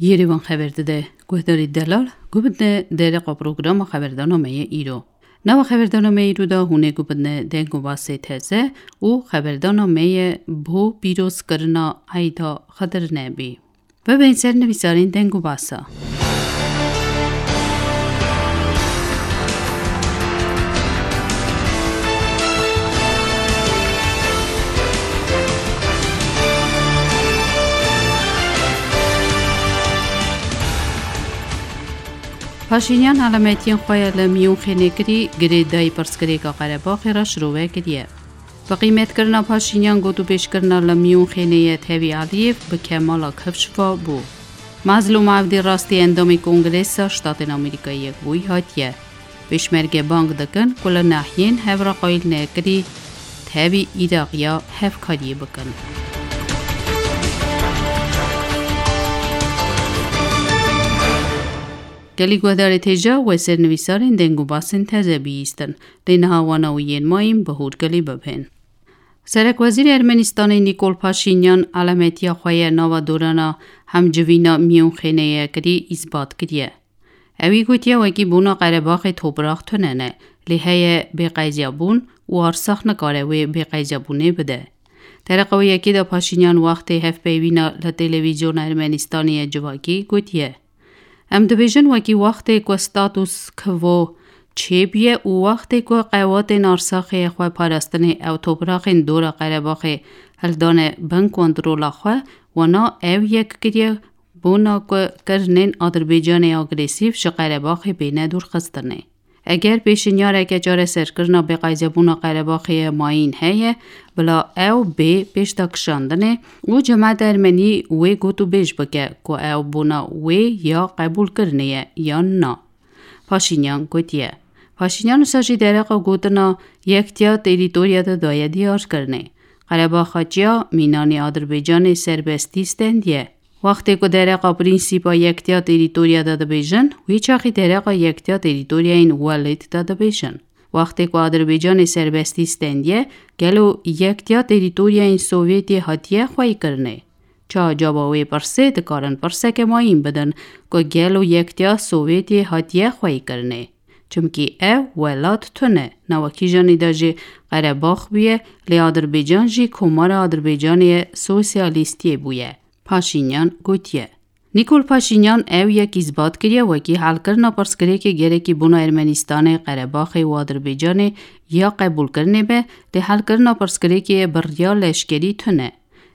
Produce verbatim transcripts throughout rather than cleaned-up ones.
Yêrêvan xeber dide. Guhdarî delal, gubidne dereqa programa xeberdana me yê îro. Nava xeberdana me îro da hûnê gubidne deng û basê teze û xeberdana me yê bo pîrozkirina Eyda Xedir Nebî. Bibên ser nivîsarên deng û basa. Paşînyan alametiyên xwe ya li Miyûnxênê kirî, girêdayî pirsgirêka Qerebaxê re şirove kiriye. Bi qîmetkirina Paşînyan gotûbêjkirina li Miyûnxênê ye tevî Aliyev bi kemala kifş va bû. Mazlûm Evdî rastî endamê Kongresa Ştatên Amerîkayê Yekbûyî hatiye. Pêşmerge bang dikin ku li nahiyên hev re qayîl nekirî tevî Îraqiya hevkariyê bikin. Gelî guhdarê têja we ser nivîsarên deng û basên teze bihîstin. Lê niha wana û yên mayîn bi hûr gelî bibên. Serekwezîrê Ermenistanê Nîkol Paşînyan alametiya xwe ye nava dorana hemcivîna Miyûnxênê ye kirî îsbat kiriye. Ewî gotiye wekî bona Qerebaxê toprax tune ne, lê heye bêqezyabûn û Arsax nikare wê bêqezyabûnê bide. Dereqa wê yekê de Paşînyan wextê hevpeyvîna li televîzyona Ermenistanê ye civakî gotiye, Em dibêjin wekî wextê ku status quo çêbûye û wextê ku qewatên Arsaxê xwe parastinê ew topraxên dora Qerebaxê hildane bin kontrola xwe, wana ew yek kiriye bona ku kirinên Adirbaycanê agresîf ji Qerebaxê bêne dûrxistinê. Eger pêşinyareke çareserkirina bêqezyabûna Qerebaxê ye mayîn heye, bila ew bê pêşda kişandinê û cemaeta ermenî wê gotûbêj bike ku ew bona wê ya qebûlkirinê ye yan na. Paşînyan gotiye. Paşînyan wisa jî dereqa gotina yektiya terîtorya de daye diyarkirinê. Qerebaxa çiya mînanê Adirbaycanê serbestî stendiye. Wextê ku dereqa prînsîpa yektiya terîtorya de dibêjin, wî çaxî dereqa yektiya terîtoryayên welêt de dibêjin. Wextê ku Adirbaycanê serbestî stendiye, gelo yektiya terîtoryayên Sovyetê hatiye xweyîkirinê? Çawa caba wê pirsê dikarin pirseke mayîn bidin ku gelo yektiya Sovyetê hatiye xweyîkirinê? Çimkî ew welat tune, nava kîjanî de jî Qerebax bûye, lê Adirbaycan jî Komara Adirbaycanê ye sosyalîstiyê bûye. Paşînyan gotiye. Nîkol Paşînyan ew yek îsbat kiriye wekî helkirina pirsgirêkê gerekî bona Ermenistanê, Qerebaxê û Adirbaycanê ya qebûlkirinê be, lê helkirina pirsgirêkê bi riya leşkerî tune.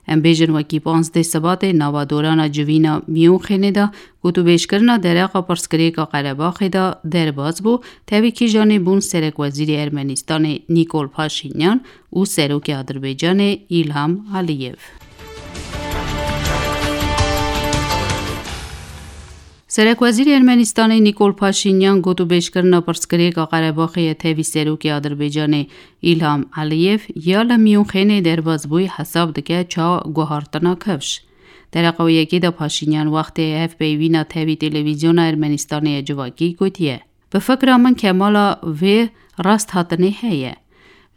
Em bêjin wekî panzdeh Sibatê nava dorana civîna Miyûnxênê de gotûbêjkirina dereqa pirsgirêka Qerebaxê de derbas bû, tevî kîjanê bûn Serekwezîrê Ermenistanê Nîkol Paşînyan û Serokê Adirbaycanê Îlham Aliyev. Serekwezîrê Ermenistanê Nîkol Paşînyan gotûbêjkirina pirsgirêka Qerebaxê ye tevî Serokê Adirbaycanê Îlham Aliyev ya li Miyûnxênê derbas bûyî hesab dike ça guhartina kifş. Dereqa wê yekê de Paşînyan wextê hevpeyvîna tevî televîzyona Ermenistanê ye civakî gotiye. Bi fikra min kemala vê rasthatinê heye.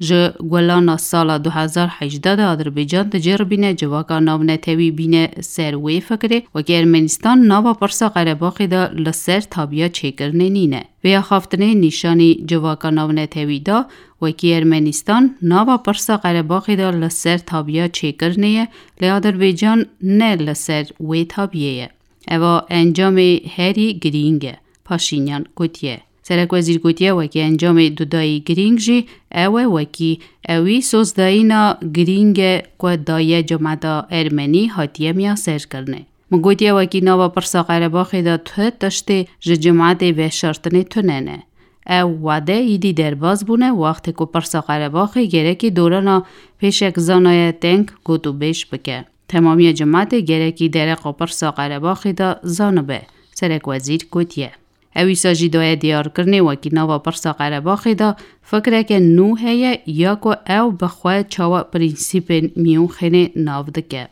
Ji Gulana sala du hezar hejdeh de Adirbaycan diceribîne civaka navnetewî bîne ser wê fikirê, wekî Ermenistan nava pirsa Qerebaxê de li ser tabiya çêkirinê nîne. Vê axaftinê nîşanî civaka navnetewî da, wekî Ermenistan nava pirsa Qerebaxê de li ser tabiya çêkirinê ye, lê Adirbaycan ne li ser wê tabiyê ye. Eva encamê herî girîng e, Paşînyan gotiye. Serekwezîr gotiye, wekî encamê dudayî girîng jî ew e, wekî ewî sozdayîna girîng e ku daye cemata ermenî hatiye miyaserkirinê. Min gotiye, wekî nava pirsa Qerebaxê de tu tiştê ji cematê veşartinê tune ne. Ew wade îdî derbas bûne, wextê ku pirsa Qerebaxê gerekî dorana pêşek zanaye teng gotûbêj bike. Temamiya cematê gerekî dereqa pirsa Qerebaxê de zanibe, Serekwezîr gotiye. Ew îsa jî daye diyarkirinê, wekî nava pirsa Qerebaxê de fikreke nû heye ya ku ew bi xwe çawa prensîpên Miyûnxênê nav dike.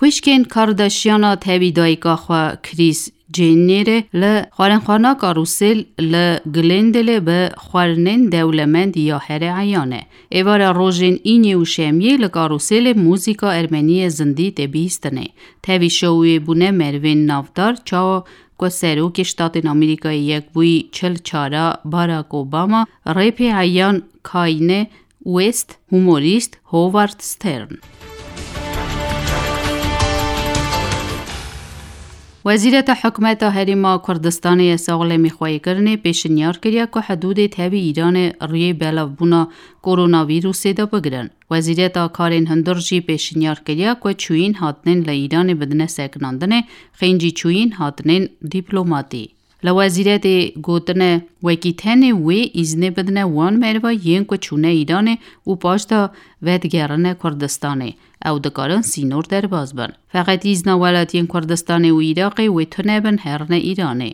Xwişkên Kardashiana tevî dayika xwe Kris Cênêrê li xwarinxwana Karûsêl li Glendale bi xwarinên dewlemend ya herê eyan e. Êvara rojên înê û şemiyê li Karûsêlê muzîka ermenî yê zindî tê bihîstinê. Tevî şowê bûne merivên navdar, çawa ku Serokê Ştatên Amerîkayê Yekbûyî çil çara Barack Obama, rêpê eyan Kanye West, humorîst Howard Stern. Wezîreta Hikûmeta Herêma Kurdistanê ya Saxlemî Xweyîkirinê pêşinyar kiriye ku hidûdê tevî Îranê rûyê belavbûna koronavîrusê de bigirin. Wezîreta Karên Hundir jî pêşinyar kiriye ku çûyîn hatinên li Îranê bidine sekinandinê, xêncî çûyîn hatinên dîplomatî. Li wezîretê gotine, wekî tenê wê îznê bidine wan meriva yên ku çûne Îranê û paş de vedigerine Kurdistanê. Ew dikarin sînor derbas bin. Feqet îzna welatiyên Kurdistanê û Iraqê wê tune bin herine Îranê.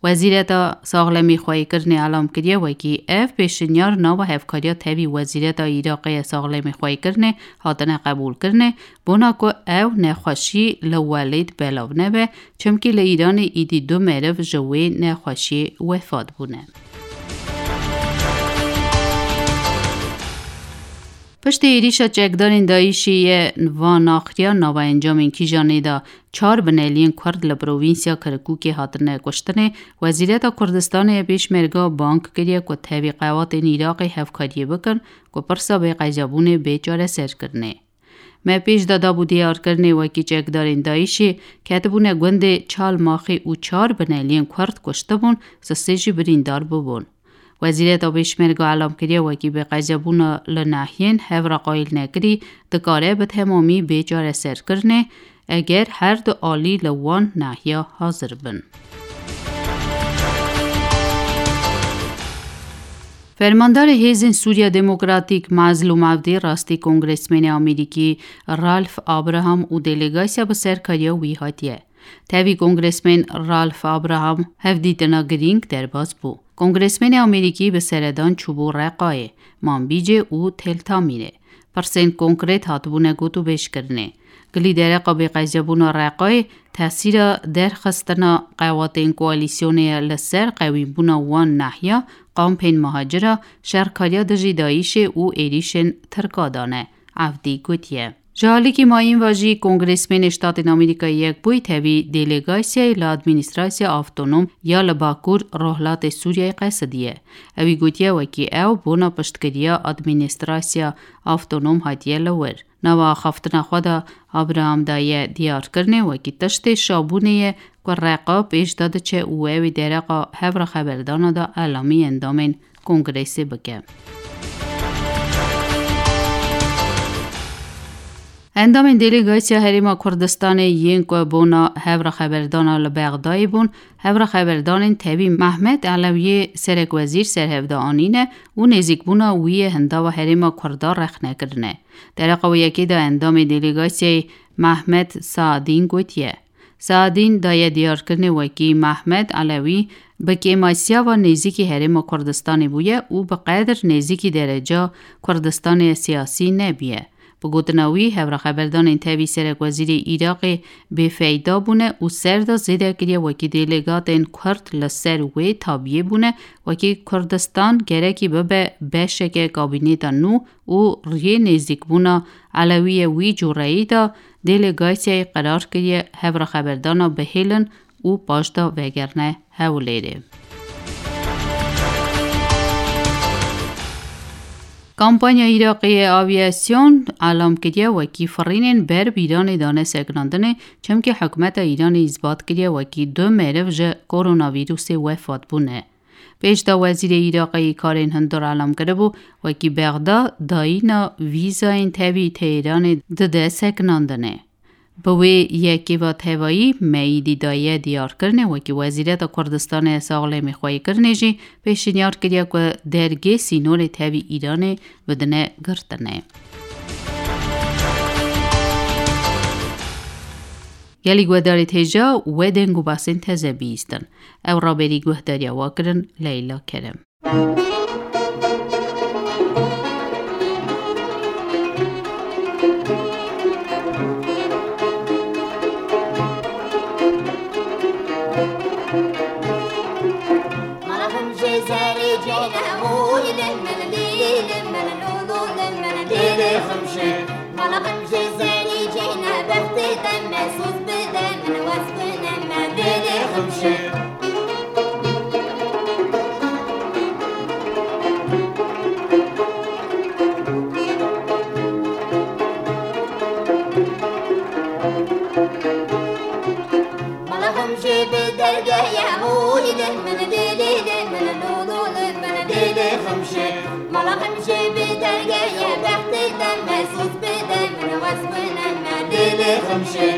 Wezîreta Saxlemî Xweyîkirinê elam kiriye, wekî ev pêşinyar nava hevkariya tevî Wezîreta Iraqê ya Saxlemî Xweyîkirinê hatine qebûlkirinê, bona ku ew nexweşî li welêt belav nebe, çimkî li Îranê îdî du meriv ji wê nexweşiyê wefat bûne. Piştî êrîşa çekdarên DAIŞ'ê ye va naxiriya nava encamên kîjanê de çar bineliyên Kurd li provînsya Kirkûkê hatine kuştinê, Wezîreta Kurdistanê ya Pêşmerga bang kiriye ku tevî qewatên Iraqê hevkariyê bikin ku pirsa bêqezabûnê bê çareserkirinê. Me pêş de dabû diyarkirinê, wekî çekdarên DAIŞ'ê ketibûne gundê Çalmaxê û çar bineliyên Kurd kuştibûn, sisê jî birîndar bûbûn. Wezîreta Pêşmerga elam kiriye, wekî bêqezabûna li nahiyên hev re qayîl nekirî dikare bi temamî bê çareserkirinê, eger her du alî li wan nahiya hazir bin. Fermandarê Hêzên Sûriya Demokratîk Mazlûm Evdî rastî Kongresmenê Amerîkî Ralph Abraham û delegasya bi serkariya wî hatiye. Tevî Kongresmen Ralph Abraham hevdîtina girîng derbas bû. Kongresmenê Amerîkî bi seredan çûbû Reqayê, Manbîcê û Tel Tamîrê. Pirsên konkret hatibûne gotûbêjkirinê. Gilî dereqa bêqezabûna Reqayê tesîra derxistina qewatên koalîsyonê ye li ser qewîbûna wan nahiya, kampên muhacira, şerkariya dijî DAIŞ'ê û êrîşên Tirka dane, Evdî gotiye. Ji alîkî mayîn ve jî Kongresmenê Ştatên Amerîkayê Yekbûyî tevî delegasyayê li Administrasya Avtonom ya li Bakur Rojhilatê Sûriyeyê qesidiye. Ewî gotiye, wekî ew bona piştgiriya Administrasya Avtonom hatiye li wir. Nava axaftina xwe de Abraham daye diyarkirinê, wekî tiştê şabûnê ye ku Reqa pêş de diçe û ew ê dereqa hevra xeberdana de elamî endamên Kongresê bike. Endamên delegasya Herêma Kurdistanê yên ku bona hevra xeberdana li Bexdayê bûn, hevra xeberdanên tevî Mehmet Elewiyê serekwezîr serhevda anîne û nêzîkbûna wî yê hindava herêma Kurda rexne kirine. Dereqa wê yekê de endamê delegasyayê Mehmet Saadîn gotiye. Saadîn daye diyarkirinê, wekî Mehmet Elewî bi kêmasiyava nêzîkî Herêma Kurdistanê bûye û bi qedir nêzîkî dereca Kurdistanê siyasî nebûye. Bi gotina wî, hevra xeberdanên tevî serekwezîrê Iraqê bêfeyda bûne û ser de zêde kiriye, wekî delegatên Kurd li ser wê tabiyê bûne, wekî Kurdistan gerekî bibe beşeke kabîneta nû û riyê nêzîkbûna Elewiyê wî cûreyî de delegasyayê qerar kiriye hevra xeberdana bihêlin û paş de vegerine Hewlêrê. Kampanya Iraqê ye aviyasyon elam kiriye, wekî firînên ber bi Îranê dane sekinandinê, çimkî hikûmeta Îranê îsbat kiriye, wekî du meriv ji koronavîrusê wefat bûne. Pêş de Wezîrê Iraqê yî Karên Hundir elam kiribû, wekî Bexda dayîna vîzayên tevî Tehranê dide sekinandinê. Bi wê yekê ve tevayî me îdî daye diyarkirinê, wekî Wezîreta Kurdistanê ya Saxlemî Xweyîkirinê jî pêşinyar kiriye ku dergê sînorê tevî Îranê bidine girtinê. Gelî guhdarê têja we deng û basên teze bihîstin. Ew raberî guhdariya we kirin Leyla Kerem. Mala xemşê bi dergeye, oy lê min, lê lê lê min, lo lo lê min, lê lê xemşê. Mala xemşê bi dergeye, bextê te me soz bide min, wez bine me, lê lê xemşê.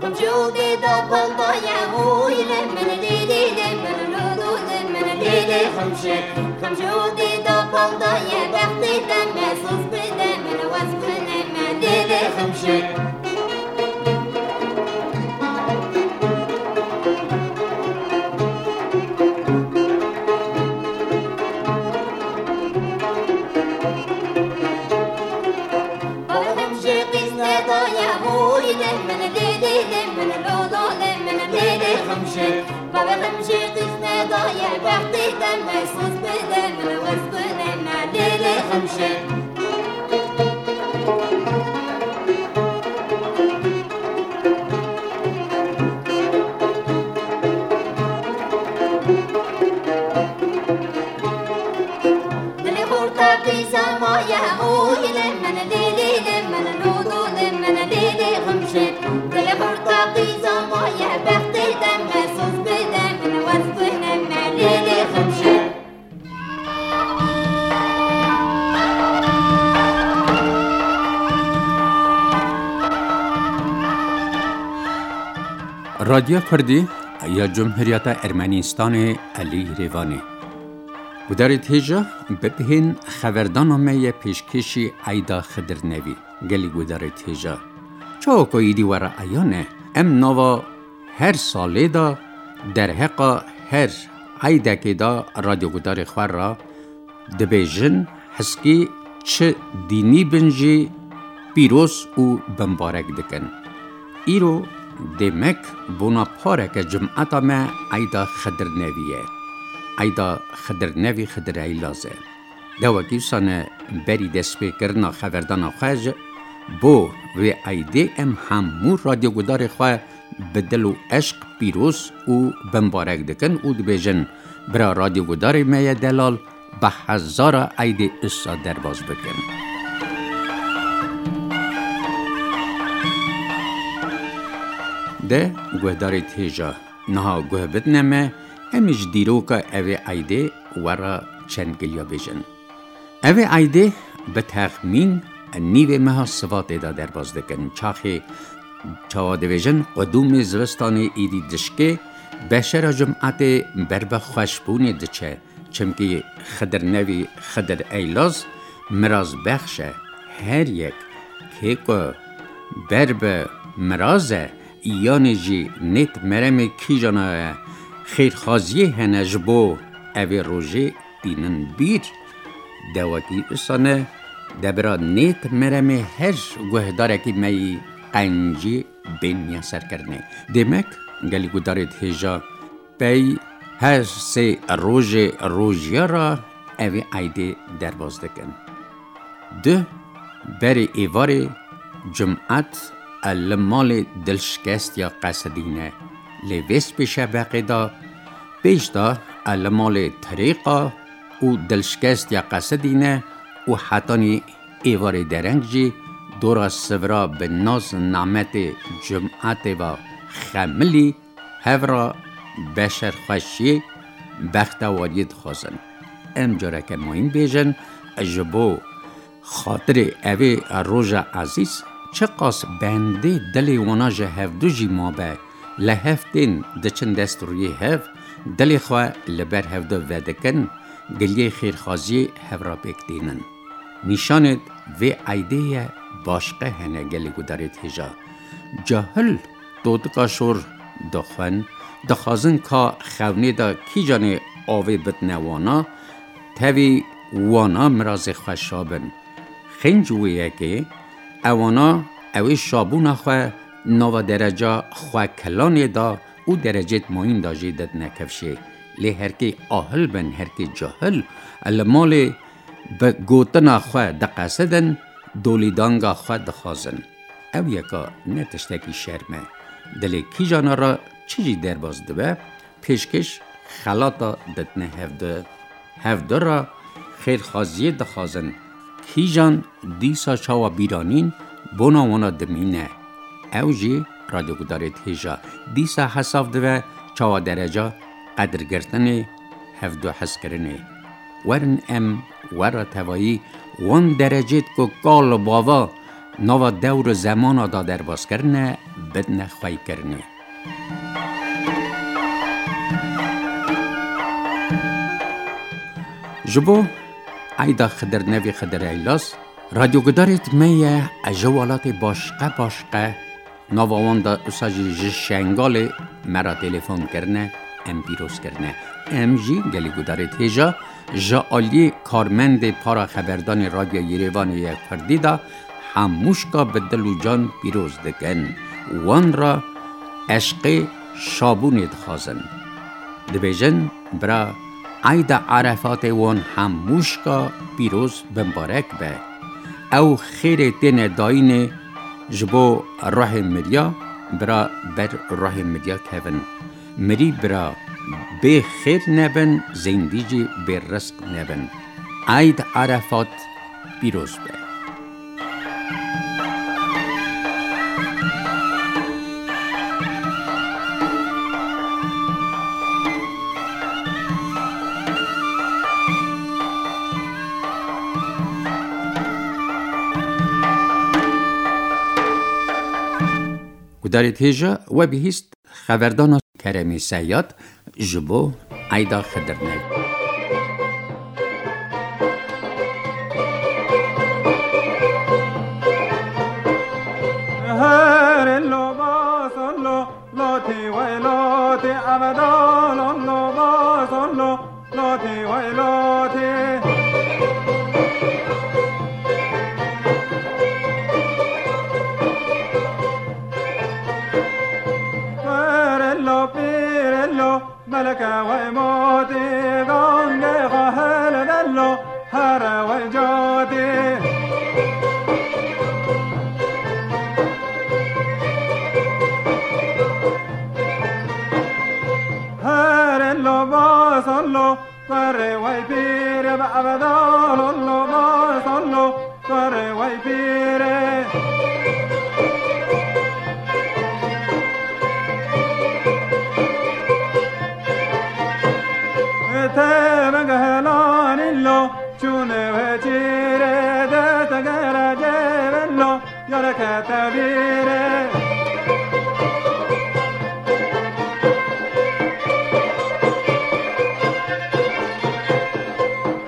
Xemşo dê da baldaye, oy lê min, lê lê lê min, lo lo lê min, lê lê xemşê. Xemşo dê da baldaye, bextê te me soz bide min, wez bine me, lê lê xemşê. Bavê xemşê qîz nedaye, oy lê min, lê lê lê min, lo lo lê min, lê lê xemşê. Bavê xemşê qîz nedaye, bextê te me soz bide min, wez bine me, lê lê xemşê. Dilê xorta qîza maye, oy lê min, lê lê lê min, lo lo lê min, lê lê xemşê. Dilê xorta qîza maye, bextê te me soz bide min, wez bine me, lê lê xemşê. Radyo Kurdî ya Cumhuriyeta Ermenistanê Elî Rêvanê. Gudarê têja bibihên xeverdana me ye pêşkêşî Eyda Xidir Nevî. Gelî gudarê têja. Çawa ku êdî were eyan e, em nava her salê de derheqa her eydekê de radyogudarê xwe re dibêjin, heskî çi dînî bin jî pîroz û bimbarek dikin. Îro demek bona pareke cumeta me eyda Xidir Nevî ye. Eyda Xidir Nevî Xidir Eylaz e. Dewekî wisa ne berî destpêkirina xeverdana xwe ji bo vê eydê em hemû radyogudarê xwe bi dil û eşq pîroz û bimbarek dikin û dibêjin, bira radyogudarê me ye delal, bi hezara eydê usa derbas bikin. De guhdarê têja niha guh bidine me, em ji dîroka evê eydê we re çend giliya bêjin. Evê eydê bi texmîn nîvê meha Sivatê de derbas dikin. Çaxê çawa dibêjin, qudûmê zivistanê êdî dişkê, beşera cumetê ber bi xweşbûnê diçe. Çimkî Xidir Nevî, Xidir Eylaz, mirazbexş e. Her yek kê ku ber bi miraz e, yanê jî nêt meremê kîjana ye, xêrxwaziyê hene ji bo evê rojê tînin bîr. Dewekî usane debira nêt meremê her guhdarekî me yî qencî bên miyaserkirinê. Demek gelî gudarê hêja pey her sê rojê rojiya re evê eydê derbas dikin. Duh berê êvarê cumet li malê dilşikestiya qesidîne. Lê vê spî şebeqê de pêş de li malê tirêqa û dilşikestiya qesidîne û hetanî êvarê dereng jî dora sivra bi naz nametê cumetê ve xemilî hev re beşerxweşiyê, bextewariyê dixwazin. Em careke mayîn bêjin, ji bo xatirê evê roja ezîz, çiqas bendê dilê wana ji hevdu jî mabe, li hev tên diçin dest rûyê hev, dilê xwe li ber hevdu vedikin, giliyê xêrxwaziyê hev re pêk tînin. Nîşanê vê eydê ye başqe hene gelê gudarê hêja. Cahil totika şor dixwin, dixwazin ka xewnê de kîjanê avê bidine wana, tevî wana mirazê xwe şa bin. Xênc wê yekê, ewana ewê şabûna xwe nava dereca xwe kilanê de û derecêt mayîn de jî didine kifşê. Lê herkê ahil bin, herkê cahil, li malê bi gotina xwe diqesidin, dolîdanga xwe dixwazin. Ew yeka ne tiştekî şerm e. Dilê kîjana re çi jî derbas dibe, pêşkêş xelata didine hevdu. Hevdu re xêrxwaziyê dixwazin. Kîjan dîsa çawa bîranîn bona wana dimîne. Ew jî radyogudarê têja dîsa hesab dibe çawa dereca qedirgirtinê, hevdu hezkirinê. Werin em wera tevayî wan derecêt ku kal û bava nava dewr û zemana da derbas kirine, bidine xweykirinê. Ji bo eyda Xidir Nevî Xidir Eylas, radyogudarêt me ye, ji welatê başqe başqe, nava wan de usa jî ji Şengalê me re telefon kirine, em pîroz kirine. Em jî gelî gudarêt hêja ji aliyê karmendê para xeberdanê Radyo Yerêvanê ye Kurdî de hemûşka bi dil û can pîroz dikin. Wan re eşqê şabûnê dixwazin. Dibêjin, bira, eyda Erefatê wan hemûşka pîroz bimbarek be. Ew xêrê têne dayînê ji bo ruhê miriya, bira ber ruhê miriya kevin. Mirî bira bê xêr nebin, zêndî jî bê rizq nebin. Eyd Erefat pîroz be. Gudarê têja we bihîst xeverdana Keremî Seyad ji bo eyda Xidir Nev. Herê lo ba sol lo, lotî wey lotî, ebeda lo lo ba sol lo, lotî wey lotî. Herê lo pîrê lo, meleke wey motî, gangê xwe hilvello, here wey cotî. Herê lo ba sol lo, kurê wey pîrê, be ebeda lo lo ba sol lo, kurê wey pîrê. Te min gehelanî lo, çûnê wê çîrê, de te gere cêvin lo, yare kete bîrê.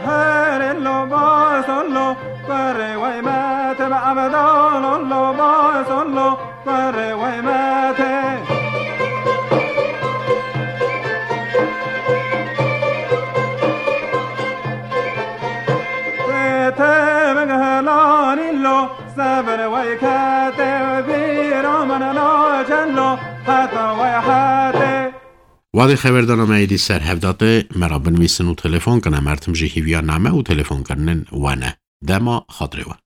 Herê lo ba sol lo, kurê wey mete, be ebeda lo lo ba sol lo, kurê wey mete. Te min gehelanî lo, sebir wey kete, bîra min naçe lo, heta wey hete. Wadê xeverdana me êdî ser hev date, me re binivîsin û telefon kin, em her tim jî hîviya name û telefonkirinên we ne. Dema xatirê we.